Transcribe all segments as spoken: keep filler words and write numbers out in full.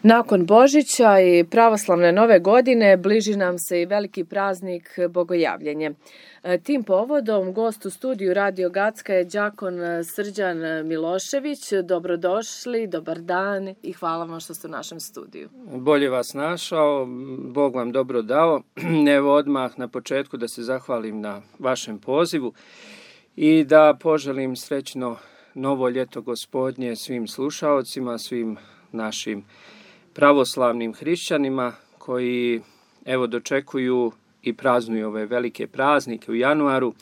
Nakon Božića i pravoslavne nove godine bliži nam se i veliki praznik Bogojavljenje. Tim povodom gost u studiju Radio Gacka je đakon Srđan Milošević. Dobrodošli, dobar dan i hvala vam što ste u našem studiju. Bolje vas našao, Bog vam dobro dao. Evo odmah na početku da se zahvalim na vašem pozivu i da poželim srećno novo ljeto Gospodnje svim slušaocima, svim našim pravoslavnim hrišćanima koji evo dočekuju i praznuju ove velike praznike u januaru.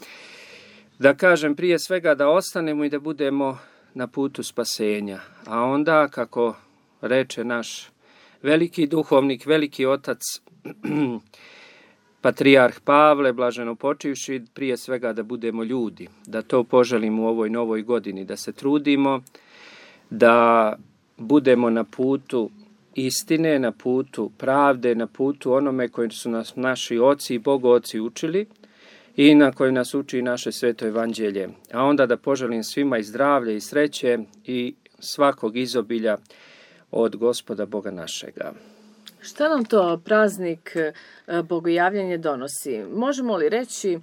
Da kažem prije svega da ostanemo i da budemo na putu spasenja. A onda, kako reče naš veliki duhovnik, veliki otac, patrijarh Pavle, blaženo počivši, prije svega da budemo ljudi. Da to poželimo u ovoj novoj godini, da se trudimo, da budemo na putu istine, na putu pravde, na putu onome koji su nas naši oci i bogoci učili i na koji nas uči naše sveto evanđelje. A onda da poželim svima i zdravlje i sreće i svakog izobilja od Gospoda Boga našega. Šta nam to praznik Bogojavljenje donosi? Možemo li reći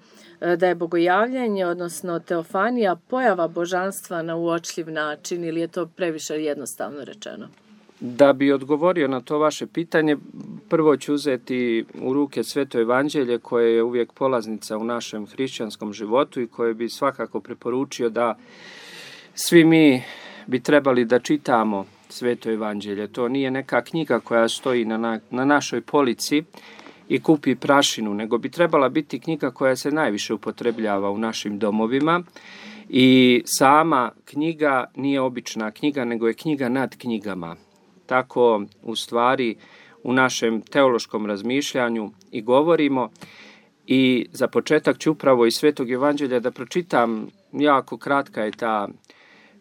da je Bogojavljenje, odnosno teofanija, pojava božanstva na uočljiv način ili je to previše jednostavno rečeno? Da bi odgovorio na to vaše pitanje, prvo ću uzeti u ruke sveto evanđelje koje je uvijek polaznica u našem hrišćanskom životu i koje bi svakako preporučio da svi mi bi trebali da čitamo sveto evanđelje. To nije neka knjiga koja stoji na, na, na našoj polici i kupi prašinu, nego bi trebala biti knjiga koja se najviše upotrebljava u našim domovima. I sama knjiga nije obična knjiga, nego je knjiga nad knjigama. Tako u stvari u našem teološkom razmišljanju i govorimo. I za početak ću upravo iz Svetog evanđelja da pročitam, jako kratka je ta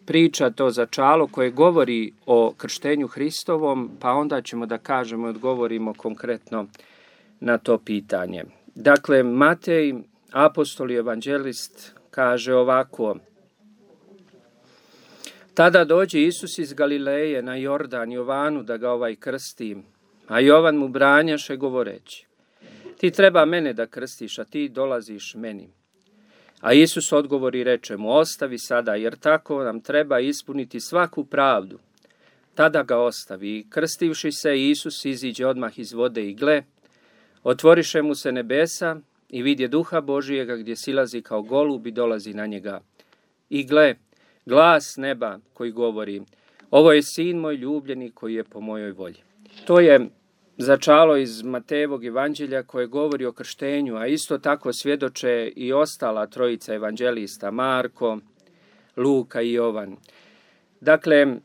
priča, to začalo koje govori o krštenju Hristovom, pa onda ćemo da kažemo i odgovorimo konkretno na to pitanje. Dakle, Matej, apostol i evanđelist, kaže ovako: Tada dođe Isus iz Galileje na Jordan Jovanu da ga ovaj krsti, a Jovan mu branjaše govoreći: Ti treba mene da krstiš, a ti dolaziš meni. A Isus odgovori i reče mu: Ostavi sada, jer tako nam treba ispuniti svaku pravdu. Tada ga ostavi i krstivši se, Isus iziđe odmah iz vode i gle, otvoriše mu se nebesa i vidje duha Božijega gdje silazi kao golub i dolazi na njega. I gle, glas neba koji govori: Ovo je sin moj ljubljeni koji je po mojoj volji. To je začalo iz Matejevog evanđelja koje govori o krštenju, a isto tako svjedoče i ostala trojica evanđelista, Marko, Luka i Jovan. Dakle,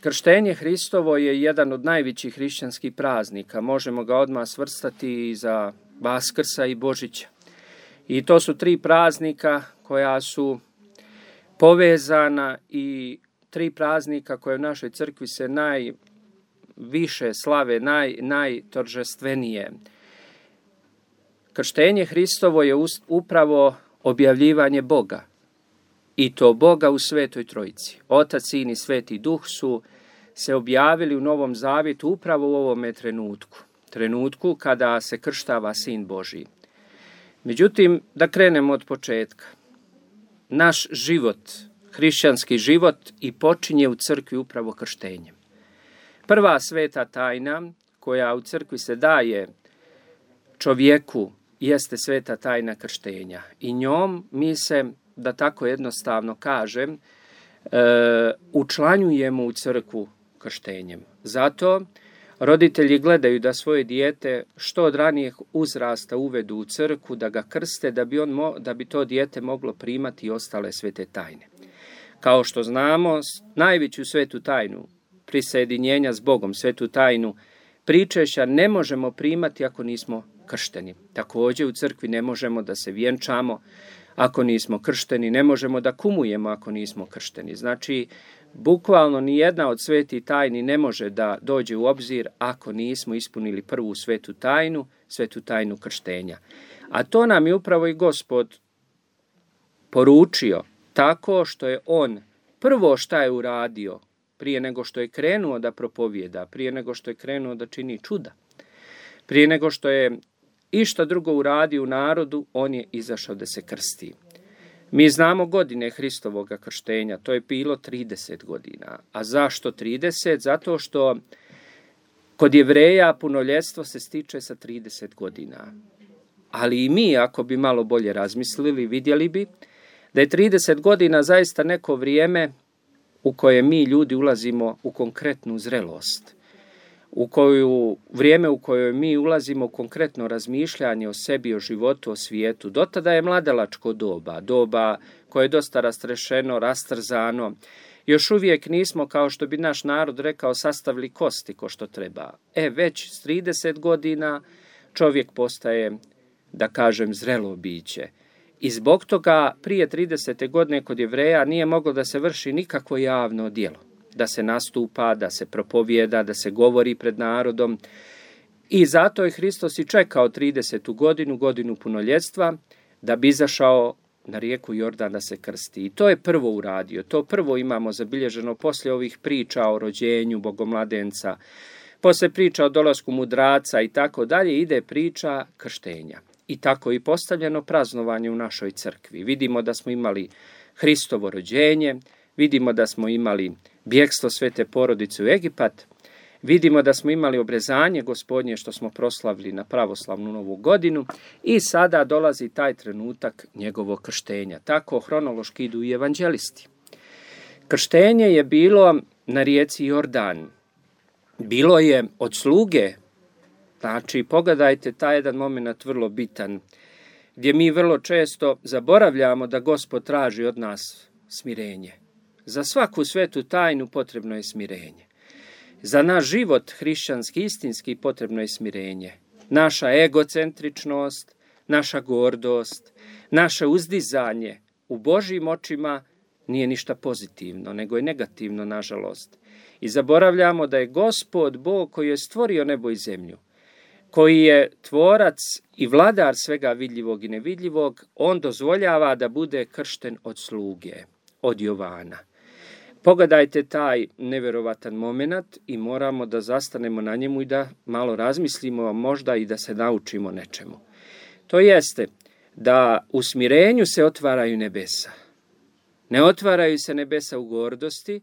krštenje Hristovo je jedan od najvećih hrišćanskih praznika. Možemo ga odmah svrstati i za Vaskrsa i Božića. I to su tri praznika koja su povezana i tri praznika koje u našoj crkvi se najviše slave, naj, najtoržestvenije. Krštenje Hristovo je upravo objavljivanje Boga. I to Boga u Svetoj Trojici. Otac, Sin i Sveti Duh su se objavili u Novom Zavjetu upravo u ovome trenutku. Trenutku kada se krštava Sin Božiji. Međutim, da krenemo od početka. Naš život, hrišćanski život, i počinje u crkvi upravo krštenjem. Prva sveta tajna koja u crkvi se daje čovjeku jeste sveta tajna krštenja. I njom mi se, da tako jednostavno kažem, e, učlanjujemo u crkvu krštenjem. Zato roditelji gledaju da svoje dijete što od ranijeg uzrasta uvedu u crkvu, da ga krste, da bi, on mo, da bi to dijete moglo primati i ostale svete tajne. Kao što znamo, najveću svetu tajnu prisjedinjenja s Bogom, svetu tajnu pričešća, ne možemo primati ako nismo kršteni. Također u crkvi ne možemo da se vjenčamo ako nismo kršteni, ne možemo da kumujemo ako nismo kršteni. Znači, bukvalno ni jedna od svetih tajni ne može da dođe u obzir ako nismo ispunili prvu svetu tajnu, svetu tajnu krštenja. A to nam je upravo i Gospod poručio tako što je on prvo šta je uradio prije nego što je krenuo da propovijeda, prije nego što je krenuo da čini čuda, prije nego što je išta drugo uradio u narodu, on je izašao da se krsti. Mi znamo godine Hristovoga krštenja, to je bilo trideset godina. A zašto trideset? Zato što kod Jevreja punoljetstvo se stiče sa trideset godina. Ali i mi, ako bi malo bolje razmislili, vidjeli bi da je trideset godina zaista neko vrijeme u koje mi ljudi ulazimo u konkretnu zrelost, u koju, vrijeme u kojoj mi ulazimo u konkretno razmišljanje o sebi, o životu, o svijetu. Do tada je mladalačko doba, doba koje je dosta rastrešeno, rastrzano. Još uvijek nismo, kao što bi naš narod rekao, sastavili kosti ko što treba. E, već s trideset godina čovjek postaje, da kažem, zrelo biće. I zbog toga prije tridesete godine kod Jevreja nije moglo da se vrši nikakvo javno djelo, da se nastupa, da se propovijeda, da se govori pred narodom. I zato je Hristos i čekao tridesetu godinu, godinu punoljetstva, da bi izašao na rijeku Jordan da se krsti. I to je prvo uradio. To prvo imamo zabilježeno poslije ovih priča o rođenju bogomladenca, poslije priča o dolasku mudraca i tako dalje, ide priča krštenja. I tako i postavljeno praznovanje u našoj crkvi. Vidimo da smo imali Hristovo rođenje, vidimo da smo imali bjegstvo svete porodice u Egipat, vidimo da smo imali obrezanje Gospodnje što smo proslavili na pravoslavnu novu godinu i sada dolazi taj trenutak njegovog krštenja. Tako hronološki idu i evanđelisti. Krštenje je bilo na rijeci Jordan. Bilo je od sluge. Znači, pogledajte taj jedan moment vrlo bitan, gdje mi vrlo često zaboravljamo da Gospod traži od nas smirenje. Za svaku svetu tajnu potrebno je smirenje. Za naš život hrišćanski, istinski, potrebno je smirenje. Naša egocentričnost, naša gordost, naše uzdizanje u Božjim očima nije ništa pozitivno, nego je negativno, nažalost. I zaboravljamo da je Gospod Bog koji je stvorio nebo i zemlju, koji je tvorac i vladar svega vidljivog i nevidljivog, on dozvoljava da bude kršten od sluge, od Jovana. Pogledajte taj nevjerovatan moment i moramo da zastanemo na njemu i da malo razmislimo, možda i da se naučimo nečemu. To jeste da u smirenju se otvaraju nebesa. Ne otvaraju se nebesa u gordosti,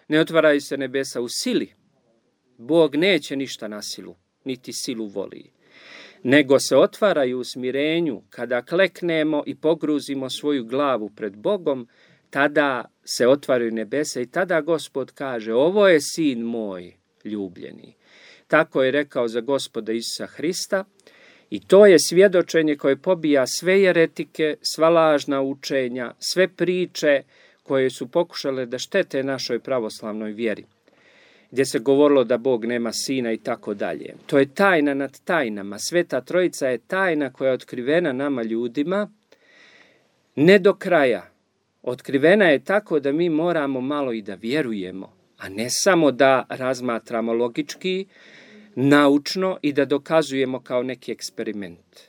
ne otvaraju se nebesa u sili. Bog neće ništa na silu, niti silu voli. Nego se otvaraju u smirenju kada kleknemo i pogruzimo svoju glavu pred Bogom, tada se otvaraju nebesa i tada Gospod kaže: ovo je sin moj ljubljeni. Tako je rekao za Gospoda Isusa Hrista i to je svjedočenje koje pobija sve jeretike, sva lažna učenja, sve priče koje su pokušale da štete našoj pravoslavnoj vjeri, gdje se govorilo da Bog nema sina i tako dalje. To je tajna nad tajnama. Sveta Trojica je tajna koja je otkrivena nama ljudima, ne do kraja. Otkrivena je tako da mi moramo malo i da vjerujemo, a ne samo da razmatramo logički, naučno i da dokazujemo kao neki eksperiment.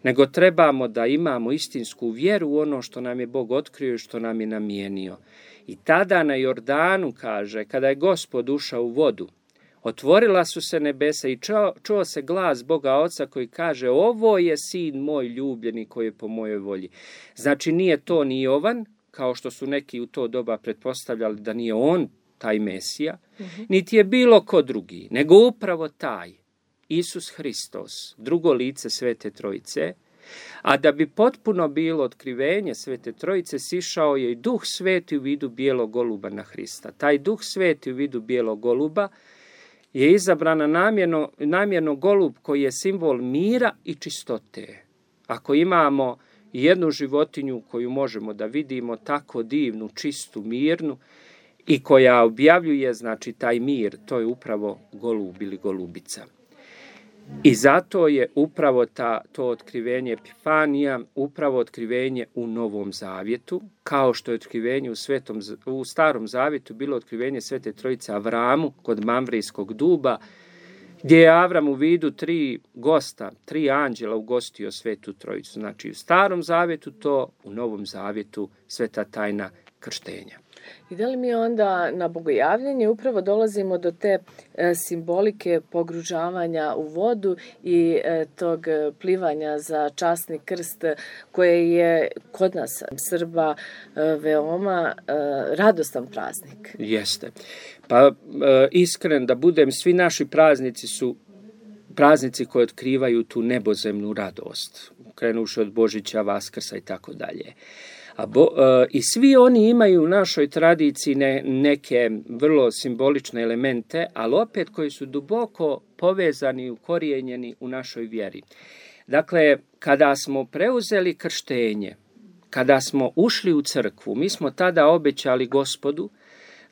Nego trebamo da imamo istinsku vjeru u ono što nam je Bog otkrio i što nam je namijenio. I tada na Jordanu, kaže, kada je Gospod ušao u vodu, otvorila su se nebesa i čuo, čuo se glas Boga Oca koji kaže: ovo je sin moj ljubljeni koji je po mojoj volji. Znači nije to ni Jovan, kao što su neki u to doba pretpostavljali da nije on taj Mesija, uh-huh. niti je bilo ko drugi, nego upravo taj Isus Hristos, drugo lice Svete Trojice. A da bi potpuno bilo otkrivenje Svete Trojice, sišao je i Duh Sveti u vidu bijelog goluba na Hrista. Taj Duh Sveti u vidu bijelog goluba je izabrana namjerno, namjerno golub koji je simbol mira i čistote. Ako imamo jednu životinju koju možemo da vidimo tako divnu, čistu, mirnu i koja objavljuje, znači, taj mir, to je upravo golub ili golubica. I zato je upravo ta, to otkrivenje Epifanija, upravo otkrivenje u Novom Zavjetu, kao što je otkrivenje u, svetom, u Starom Zavjetu bilo otkrivenje Svete Trojice Avramu kod Mamvrijskog duba, gdje je Avram u vidu tri gosta, tri anđela ugostio Svetu Trojicu. Znači u Starom Zavjetu to, u Novom Zavjetu sveta tajna krštenja. I da li mi onda na bogojavljanje upravo dolazimo do te e, simbolike pogružavanja u vodu i e, tog plivanja za časni krst koje je kod nas Srba e, veoma e, radostan praznik? Jeste. Pa e, iskren da budem, svi naši praznici su praznici koji otkrivaju tu nebozemnu radost, krenuši od Božića, Vaskrsa i tako dalje. A bo, e, I svi oni imaju u našoj tradiciji ne, neke vrlo simbolične elemente, ali opet koji su duboko povezani i ukorijenjeni u našoj vjeri. Dakle, kada smo preuzeli krštenje, kada smo ušli u crkvu, mi smo tada obećali Gospodu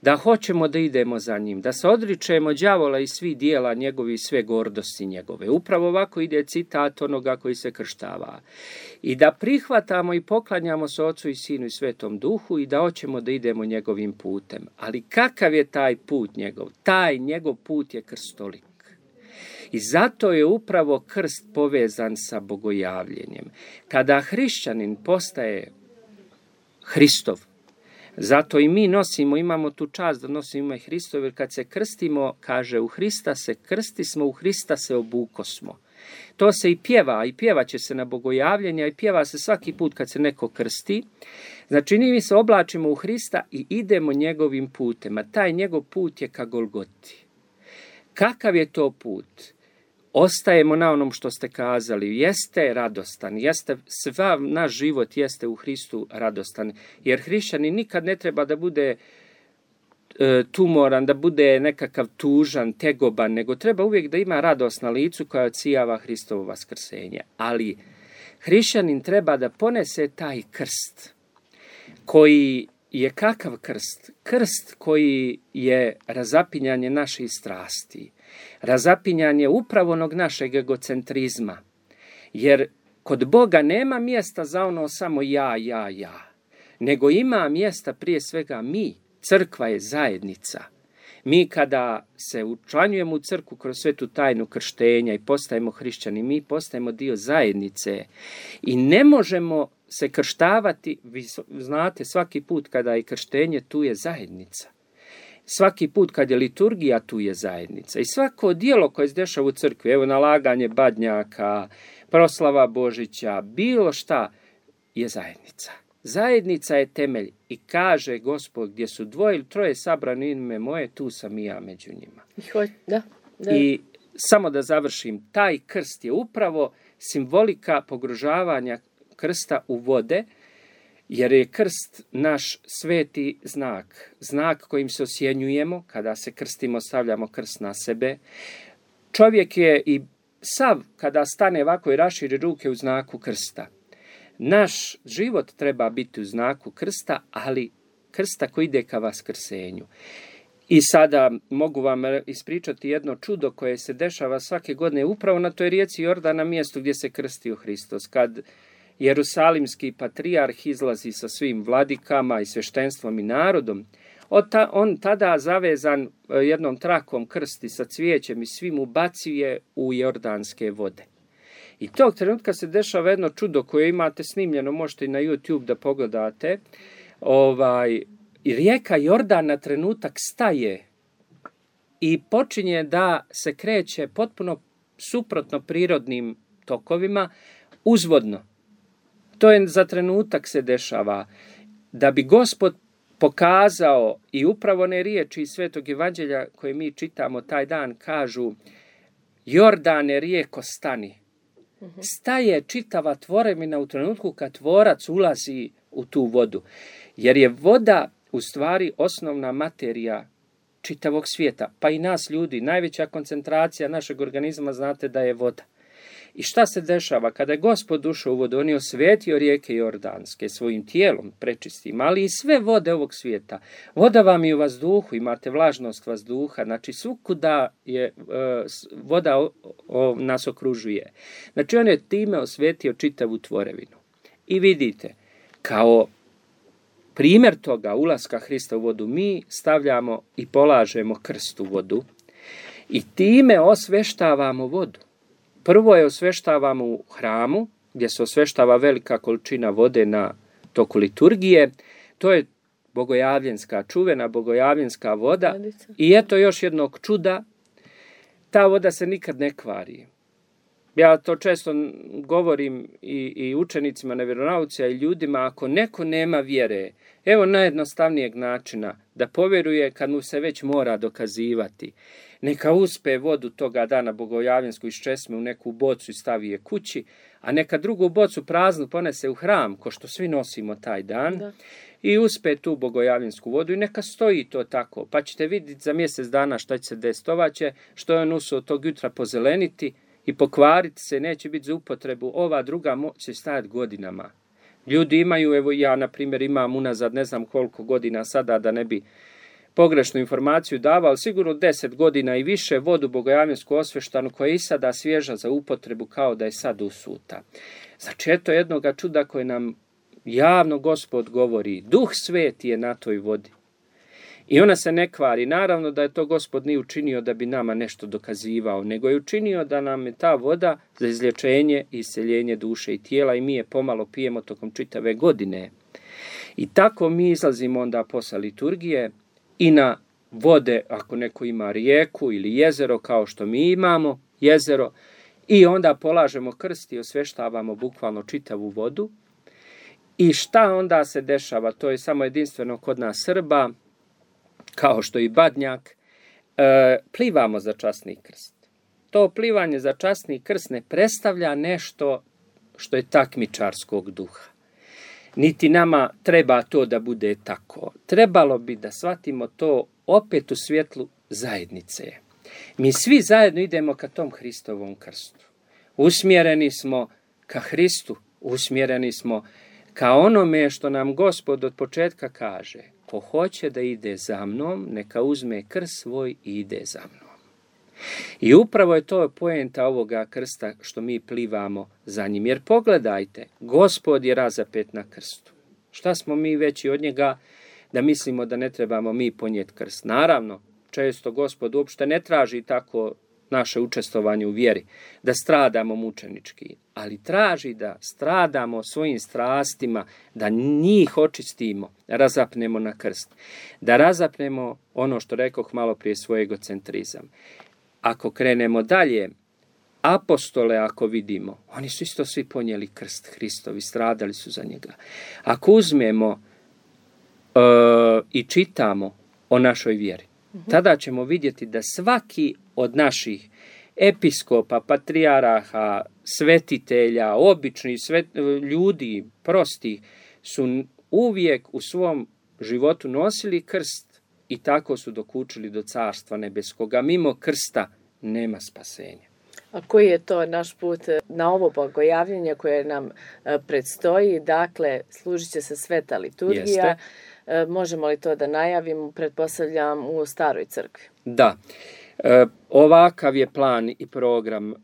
da hoćemo da idemo za njim, da se odričemo đavola i svih dijela njegovi i sve gordosti njegove. Upravo ovako ide citat onoga koji se krštava. I da prihvatamo i poklanjamo se Ocu i Sinu i Svetom Duhu i da hoćemo da idemo njegovim putem. Ali kakav je taj put njegov? Taj njegov put je krstolik. I zato je upravo krst povezan sa bogojavljenjem. Kada hrišćanin postaje Hristov, zato i mi nosimo, imamo tu čast da nosimo ime Hristov, jer kad se krstimo, kaže, u Hrista se krsti smo, u Hrista se obukosmo. To se i pjeva, i pjevat će se na bogojavljenja, i pjeva se svaki put kad se neko krsti. Znači, mi se oblačimo u Hrista i idemo njegovim putem, a taj njegov put je ka Golgoti. Kakav je to put? Ostajemo na onom što ste kazali, jeste radostan, jeste, sva naš život jeste u Hristu radostan, jer hrišćanin nikad ne treba da bude e, tumoran, da bude nekakav tužan, tegoban, nego treba uvijek da ima radost na licu koja odsijava Hristovo vaskrsenje. Ali hrišćanin treba da ponese taj krst, koji je kakav krst? Krst koji je razapinjanje naših strasti, razapinjanje upravo onog našeg egocentrizma, jer kod Boga nema mjesta za ono samo ja, ja, ja, nego ima mjesta prije svega mi. Crkva je zajednica. Mi kada se učlanjujemo u crkvu kroz svetu tajnu krštenja i postajemo hrišćani, mi postajemo dio zajednice i ne možemo se krštavati, vi znate, svaki put kada je krštenje, tu je zajednica. Svaki put kad je liturgija, tu je zajednica. I svako djelo koje se dešava u crkvi, evo nalaganje badnjaka, proslava Božića, bilo šta, je zajednica. Zajednica je temelj i kaže Gospod, gdje su dvoje ili troje sabrani ime moje, tu sam i ja među njima. Da, da. I samo da završim, taj krst je upravo simbolika pogružavanja krsta u vode, jer je krst naš sveti znak, znak kojim se osjenjujemo, kada se krstimo, stavljamo krst na sebe. Čovjek je i sav, kada stane ovako i raširi ruke u znaku krsta. Naš život treba biti u znaku krsta, ali krsta koji ide ka vaskrsenju. I sada mogu vam ispričati jedno čudo koje se dešava svake godine upravo na toj rijeci Jordan, na mjestu gdje se krstio Hristos. Kad Jerusalimski patrijarh izlazi sa svim vladikama i sveštenstvom i narodom, on tada zavezan jednom trakom krsti sa cvijećem i svim ubacuje u jordanske vode. I tog trenutka se dešava jedno čudo koje imate snimljeno, možete i na YouTube da pogledate. Ovaj, rijeka Jordan na trenutak staje i počinje da se kreće potpuno suprotno prirodnim tokovima uzvodno. To je za trenutak se dešava. Da bi Gospod pokazao, i upravo one riječi iz Svetog Evanđelja koje mi čitamo taj dan kažu: Jordane, rijeko, stani. Staje čitava tvorevina u trenutku kad tvorac ulazi u tu vodu. Jer je voda u stvari osnovna materija čitavog svijeta, pa i nas ljudi. Najveća koncentracija našeg organizma, znate da je voda. I šta se dešava? Kada je Gospod ušao u vodu, on je osvetio rijeke Jordanske svojim tijelom prečistim, ali i sve vode ovog svijeta. Voda vam je u vazduhu, imate vlažnost vazduha, znači svukuda je uh, voda o, o, nas okružuje. Znači on je time osvetio čitavu tvorevinu. I vidite, kao primjer toga ulaska Hrista u vodu, mi stavljamo i polažemo krst u vodu i time osveštavamo vodu. Prvo je osveštavamo u hramu, gdje se osveštava velika količina vode na toku liturgije. To je bogojavljenska, čuvena bogojavljenska voda. Vodica. I eto još jednog čuda, ta voda se nikad ne kvari. Ja to često govorim i, i učenicima na vjeronauci, a i ljudima, ako neko nema vjere, evo najjednostavnijeg načina da povjeruje kad mu se već mora dokazivati. Neka uspe vodu toga dana bogojavljensku iz česme u neku bocu i stavi je kući, a neka drugu bocu praznu ponese u hram, ko što svi nosimo taj dan, Da. i uspe tu bogojavljensku vodu i neka stoji to tako. Pa ćete vidjeti za mjesec dana šta će se desiti. Ova će, što je on usuo tog jutra pozeleniti i pokvariti se, neće biti za upotrebu. Ova druga će stajati godinama. Ljudi imaju, evo ja na primjer imam unazad ne znam koliko godina sada, da ne bi pogrešnu informaciju davao, ali sigurno deset godina i više vodu bogojavljensku osveštanu koja je i sada svježa za upotrebu kao da je sad usuta. Znači eto jednoga čuda koje nam javno Gospod govori, Duh Sveti je na toj vodi. I ona se ne kvari. Naravno da je to Gospod nije učinio da bi nama nešto dokazivao, nego je učinio da nam je ta voda za izlječenje i isceljenje duše i tijela i mi je pomalo pijemo tokom čitave godine. I tako mi izlazimo onda posle liturgije i na vode, ako neko ima rijeku ili jezero kao što mi imamo, jezero, i onda polažemo krst i osveštavamo bukvalno čitavu vodu. I šta onda se dešava? To je samo jedinstveno kod nas Srba, kao što i Badnjak, e, plivamo za časni krst. To plivanje za časni krst ne predstavlja nešto što je takmičarskog duha. Niti nama treba to da bude tako. Trebalo bi da shvatimo to opet u svjetlu zajednice. Mi svi zajedno idemo ka tom Hristovom krstu. Usmjereni smo ka Hristu, usmjereni smo ka onome što nam Gospod od početka kaže. Ko hoće da ide za mnom, neka uzme krst svoj i ide za mnom. I upravo je to poenta ovoga krsta što mi plivamo za njim. Jer pogledajte, Gospod je razapet na krstu. Šta smo mi veći od njega da mislimo da ne trebamo mi ponijeti krst? Naravno, često Gospod uopšte ne traži tako naše učestvovanje u vjeri, da stradamo mučenički, ali traži da stradamo svojim strastima, da njih očistimo, razapnemo na krst, da razapnemo ono što rekoh malo prije, svoj egocentrizam. Ako krenemo dalje, apostole ako vidimo, oni su isto svi ponijeli krst Hristovi, stradali su za njega. Ako uzmemo uh, i čitamo o našoj vjeri, tada ćemo vidjeti da svaki od naših episkopa, patrijaraha, svetitelja, običnih svet, ljudi, prostih, su uvijek u svom životu nosili krst i tako su dokučili do Carstva nebeskoga. Mimo krsta nema spasenja. A koji je to naš put na ovo bogojavljenje koje nam predstoji? Dakle, služit će se sveta liturgija. Jeste. Možemo li to da najavimo, pretpostavljam, u staroj crkvi? Da. E, ovakav je plan i program. E,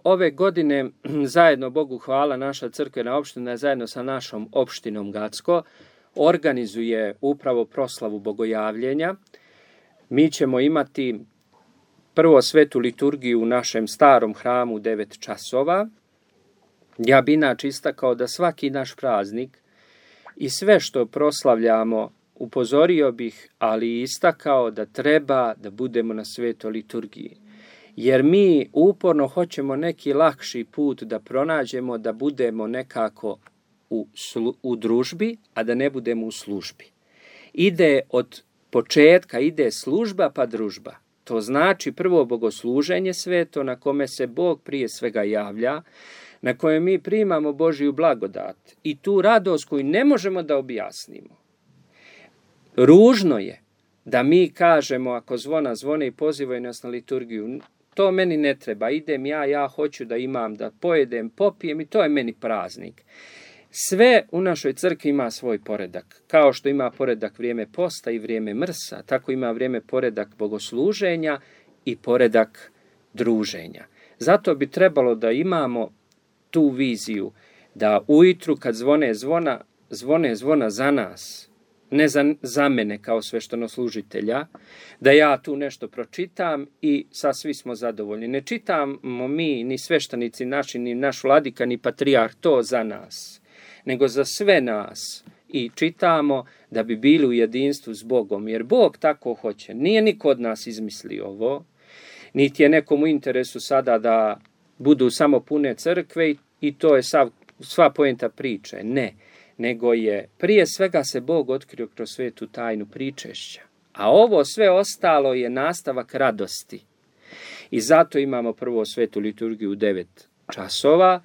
ove godine, zajedno, Bogu hvala, naša crkvena opština zajedno sa našom opštinom Gacko organizuje upravo proslavu bogojavljenja. Mi ćemo imati prvo svetu liturgiju u našem starom hramu u devet časova. Ja bi inače istakao da svaki naš praznik i sve što proslavljamo, upozorio bih, ali istakao da treba da budemo na svetoj liturgiji. Jer mi uporno hoćemo neki lakši put da pronađemo, da budemo nekako u, slu, u družbi, a da ne budemo u službi. Ide od početka, ide služba pa družba. To znači prvo bogosluženje sveto na kome se Bog prije svega javlja, na kojem mi primamo Božiju blagodat i tu radost koju ne možemo da objasnimo. Ružno je da mi kažemo, ako zvona zvone i pozivaju nas na liturgiju, to meni ne treba, idem ja, ja hoću da imam, da pojedem, popijem i to je meni praznik. Sve u našoj crkvi ima svoj poredak. Kao što ima poredak vrijeme posta i vrijeme mrsa, tako ima vrijeme poredak bogosluženja i poredak druženja. Zato bi trebalo da imamo tu viziju, da ujutru kad zvone zvona, zvone zvona za nas, ne za, za mene kao sveštenoslужitelja, da ja tu nešto pročitam i sa svi smo zadovoljni. Ne čitamo mi, ni sveštenici naši, ni naš vladika, ni patrijarh to za nas, nego za sve nas. i čitamo da bi bili u jedinstvu s Bogom, jer Bog tako hoće. Nije niko od nas izmislio ovo, niti je nekom u interesu sada da budu samo pune crkve i, i to je sav, sva poenta priče. Ne, nego je prije svega se Bog otkrio kroz svetu tajnu pričešća. A ovo sve ostalo je nastavak radosti. I zato imamo prvo svetu liturgiju u devet časova.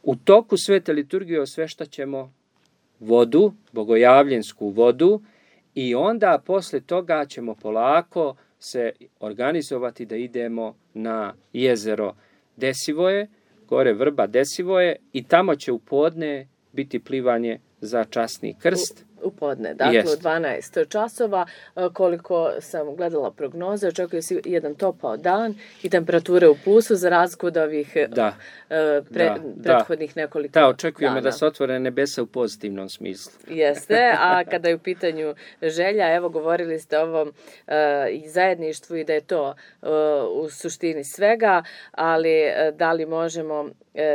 U toku svete liturgije osveštaćemo vodu, bogojavljensku vodu, i onda posle toga ćemo polako se organizovati da idemo na jezero Desivoje, gore Vrba Desivoje, i tamo će u podne biti plivanje za časni krst. U, u podne, dakle Jest. u dvanaest časova, koliko sam gledala prognoze, očekuje se jedan topao dan i temperature u plusu za razliku od ovih da. pre, da, prethodnih da. nekoliko dana. Da, očekujemo dana. da se otvore nebesa u pozitivnom smislu. Jeste, a kada je u pitanju želja, evo govorili ste o ovom uh, i zajedništvu i da je to uh, u suštini svega, ali uh, da li možemo uh,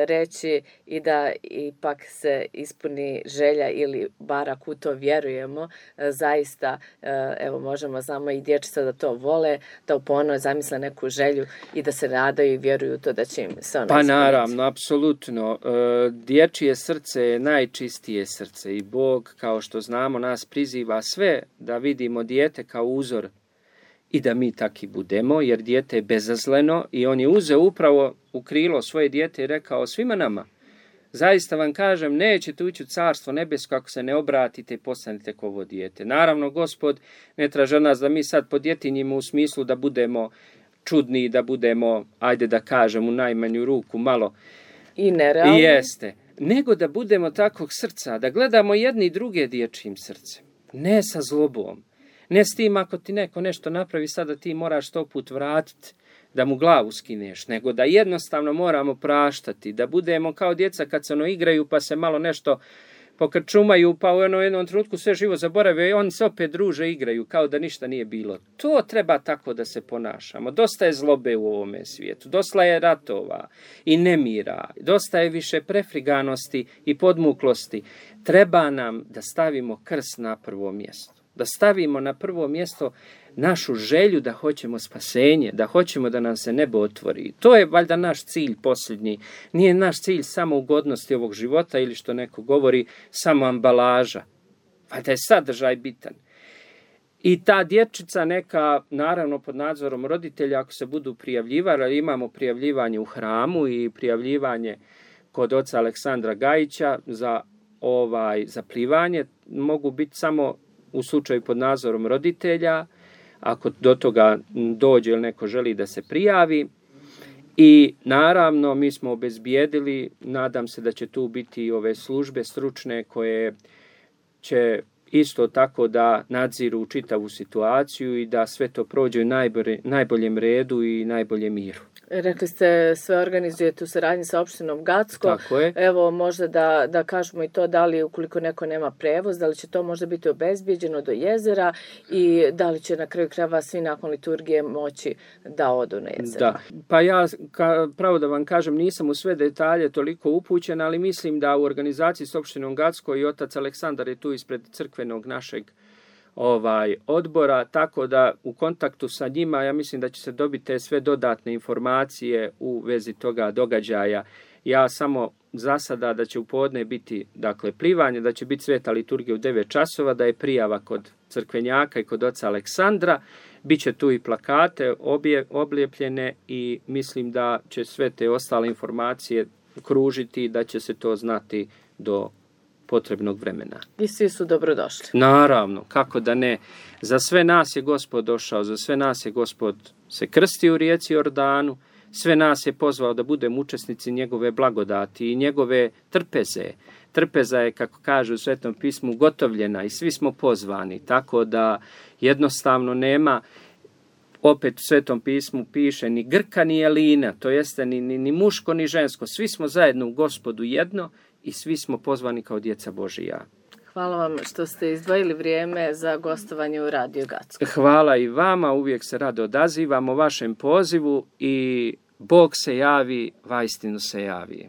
reći i da ipak se ispuni želja ili bar ako u to vjerujemo, uh, zaista uh, evo možemo znamo i dječica da to vole, da u ponoć zamisle neku želju i da se nadaju i vjeruju to da će im se ona Pa ispuniti. Naravno, apsolutno. Dječje srce je najčistije srce i Bog, kao što znamo, nas priziva sve da vidimo dijete kao uzor i da mi taki budemo, jer dijete je bezazleno i on je uzeo upravo u krilo svoje dijete i rekao svima nama, zaista vam kažem, nećete ući u carstvo nebesko ako se ne obratite i postanete kao ovo dijete. Naravno, Gospod ne traži od nas da mi sad podjetinjimo u smislu da budemo čudni, da budemo, ajde da kažem, u najmanju ruku malo i nerealni. Jeste. Nego da budemo takvog srca, da gledamo jedni i druge dječjim srcem. Ne sa zlobom. Ne s tim ako ti neko nešto napravi, sada ti moraš sto put vratiti da mu glavu skineš, nego da jednostavno moramo praštati, da budemo kao djeca kad se ono igraju pa se malo nešto pokrčumaju, pa u jednom trenutku sve živo zaborave i oni se opet druže igraju kao da ništa nije bilo. To treba tako da se ponašamo. Dosta je zlobe u ovome svijetu, dosta je ratova i nemira, dosta je više prefriganosti i podmuklosti. Treba nam da stavimo krst na prvo mjesto. Da stavimo na prvo mjesto našu želju da hoćemo spasenje, da hoćemo da nam se nebo otvori. To je valjda naš cilj posljednji. Nije naš cilj samo ugodnosti ovog života ili što neko govori samo ambalaža. Valjda je sadržaj bitan. I ta dječica neka, naravno pod nadzorom roditelja, ako se budu prijavljivali, imamo prijavljivanje u hramu i prijavljivanje kod oca Aleksandra Gajića za ovaj za plivanje, mogu biti samo u slučaju pod nadzorom roditelja, ako do toga dođe ili neko želi da se prijavi. I naravno mi smo obezbijedili, nadam se da će tu biti i ove službe stručne koje će isto tako da nadziru čitavu situaciju i da sve to prođe u najbolje, najboljem redu i najboljem miru. Rekli ste sve organizujete u saradnji sa opštinom Gacko. Tako je. Evo možda da, da kažemo i to da li ukoliko neko nema prevoz, da li će to možda biti obezbijeđeno do jezera i da li će na kraju krajeva svi nakon liturgije moći da odu na jezero. Da, pa ja ka, pravo da vam kažem nisam u sve detalje toliko upućen, ali mislim da u organizaciji s opštinom Gacko i otac Aleksandar je tu ispred crkvenog našeg ovaj odbora, tako da u kontaktu sa njima ja mislim da će se dobiti te sve dodatne informacije u vezi toga događaja. Ja samo za sada da će u podne biti dakle plivanje, da će biti sveta liturgija u devet časova, da je prijava kod crkvenjaka i kod oca Aleksandra, biće tu i plakate obje, oblijepljene i mislim da će sve te ostale informacije kružiti, da će se to znati do potrebnog vremena. I svi su dobrodošli. Naravno, kako da ne. Za sve nas je Gospod došao, za sve nas je Gospod se krstio u rijeci Jordanu, sve nas je pozvao da budemo učesnici njegove blagodati i njegove trpeze. Trpeza je, kako kaže u Svetom pismu, ugotovljena i svi smo pozvani, tako da jednostavno nema, opet u Svetom pismu piše, ni Grka ni Elina, to jeste ni, ni, ni muško ni žensko, svi smo zajedno u Gospodu jedno i svi smo pozvani kao djeca Božija. Hvala vam što ste izdvojili vrijeme za gostovanje u Radio Gacko. Hvala i vama, uvijek se rado odazivamo vašem pozivu i Bog se javi, vaistinu se javi.